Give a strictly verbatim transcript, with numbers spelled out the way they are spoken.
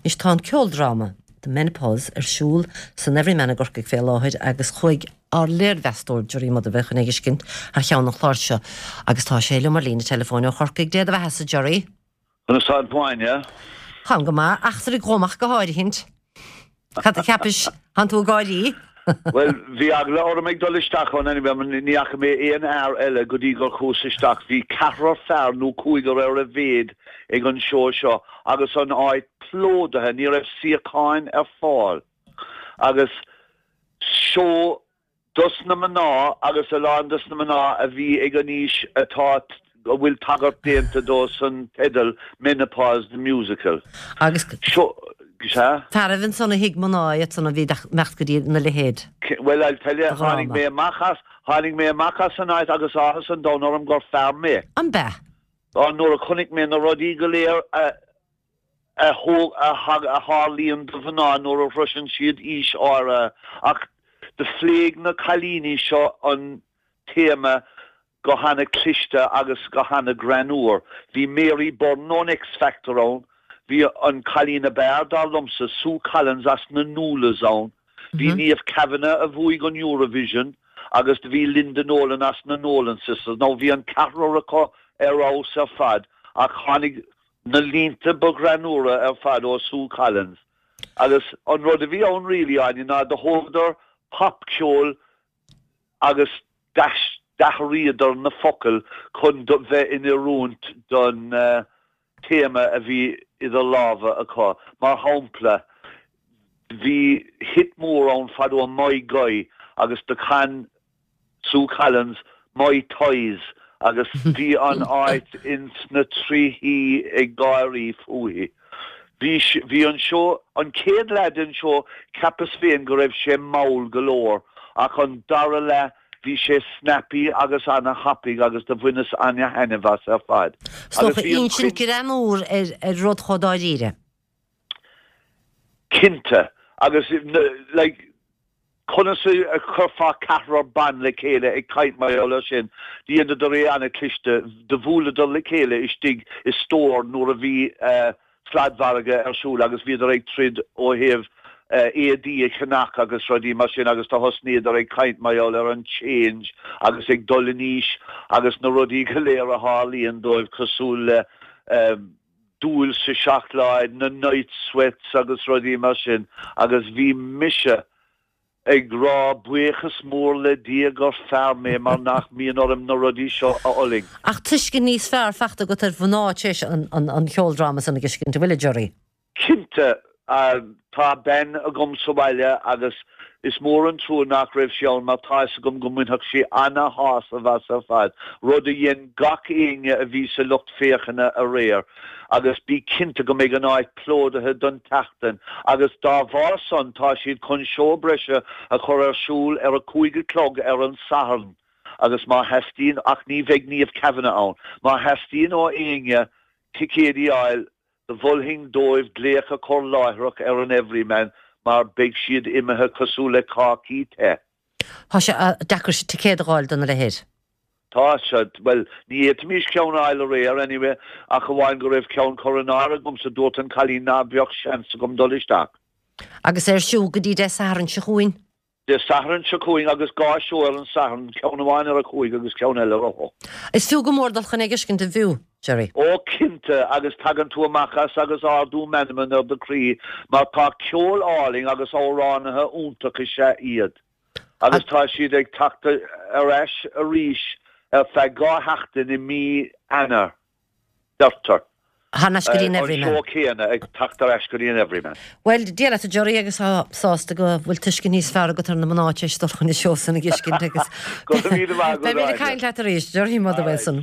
Anois tá an ceoldráma The Menopause ar siúl san Everyman i gCorcaigh fé láthair agus chuaigh ár léirmheastóir Gerry Motherwell chun é a fheiscint thar cheann an chláir seo agus tá sé liom ar líne teileafóin ó Chorcaigh. Dé do bheathasa Gerry. Conas tá tú Áine? Táim go maith, eachtra ag amach go háirithint. Cad a cheapais tánn tú ag gáirí? Well, bhí eagla orm ag dul isteach ann anyway, ní fhaca mé aon fhear eile go dtí gur chuas isteach. Bhí ceathrar fear nó cúigear ar a mhéad ag an seó seo agus an áit plódaithe, ní raibh suíocháin ar fáil. Agus seó dos na mná agus a lán dos na mná a bhí ag an aois atá a bhfuil tagairt déanta dó san teideal Menopause the Musical. Agus Seo sea? Fearaibh ansan a thuig mná iad san a bhí imeacht go dtí na leithéid. Well, I'll tell you, tháinig mé amach as, tháinig mé amach as an áit agus áthas an domhain orm gur fear mé. An b'ea? Á nuair a chonaic mé na rudaí go léir a a thóg a thag a tharlaíonn do mhná nuair a shroiseann siad aois áirithe ach do phléigh na cailíní seo an téama go hana cliste agus go hana greannmhar. Bhí Mary Byrne ón X Factor ann, bhí an cailín ab fhearr dar liomsa, Sue Collins as na Nualas ann, bhí Niamh Kavanagh a bhuaigh an Eurovision agus do bhí Linda Nolan as na Nolan Sisters. Now bhí an ceathrar acu ar fheabhas ar fad ach tháinig na línte ba ghreannmhaire ar fad ó Sue Collins. Agus an rud a bhí ann really Áine ná do thógadar popcheol agus d'athraíodar na focail chun do bheith in oiriúint don uh, téama a bhí idir lámha acu. Mar shampla, bhí hit mór ann fadó My Guy agus do chan Sue Collins My Toys agus bhí an áit ins na trithí ag gáirí fúithi. Bhí bhí an seó an chéad leath den seó cheapas féin go raibh sé mall go leor ach an dara leath bhí sé snappy agus ana thapaidh agus do bhaineas ana thaitneamh as ar fad. Is insint greannmhar ar ar rud chomh dáiríre. Cinnte agus like, conas a chuirfeá ceathrar ban le chéile ag caint mar sin, Dheineadar é ana cliste do bhuaileadar le chéile istigh i stór nuair a bhí uh, sladmhargadh ar siúl agus bhíodar ag troid ó thaobh uh, éadaí a cheannach agus rudaí mar sin agus do thosnaíodar ag caint mar ar an change agus ag dul in aois agus na rudaí go léir a tharlaíonn dóibh cosúil le um, dúil sa seacláid na night sweats agus rudaí mar sin agus bhí mise ag rá buíochas mór le Dia gur fear mé mar nach mbíonn orm na rudaí seo a fhulaingt. Ach tuiscint níos fearr faighte agat ar mhná tar éis an, an, an cheoldráma san a fheiscint bhfuil Gerry. Cinnte uh, tá bean agam sa bhaile agus is mór an trua nach raibh sí ann mar tá agam go mbainfeadh sí ana shásamh as ar fad, rud a dhein gach éinne a bhí sa lucht féachana aréir, agus bí cinnte go mbeidh an áit plódaithe don tseachtain, agus dá bharr san tá siad chun seó breise a chur ar siúl ar a cúig a chlog ar an Satharn. agus má theastaíonn ach ní bheidh Niamh Kavanagh ann, má theastaíonn ó éinne ticéid a fháil do mholfainn dóibh glaoch a chur láithreach ar an Everyman mar beidh siad imithe cosúil le cácaí te. Tá sé deacair sé ticéad a fháil don leithéid. Tá se well ní fhéadfaimis ceann a fháil aréir anyway ach amháin go raibh ceann curtha in áirithe agam sa dúirt an cailín ná beadh seans agam dul isteach. Agus ar siúl go dtí Dé Sathairn seo chugainn. Dé Sathairn seo chugainn agus dhá seó ar an Satharn ceann amháin ar a cúig agus ceann eile ar a hocht. Is fiú go mór dul chun é a fheiscint a bhfiú, Gerry. Ó cinnte agus tagann tú amach as agus ardú meanman ar do chroí mar tá ceol álainn agus amhránaithe iontach is ea iad. Agus tá siad ag teacht ar ais arís ar feadh dhá sheachtain i mí Eanáir. Deirtear. Thar n-ais go dtí an Everyman. An seó céanna ag teacht ar ais go dtí an Everyman. Well, Dia leat a Gerry agus tá sásta go bhfuil tuiscint níos fearr agat ar na mná tar éis dul chun an seó san a fheiscint agus Go míle maith Beidh mé ag caint leat arís, Gerry Motherwell.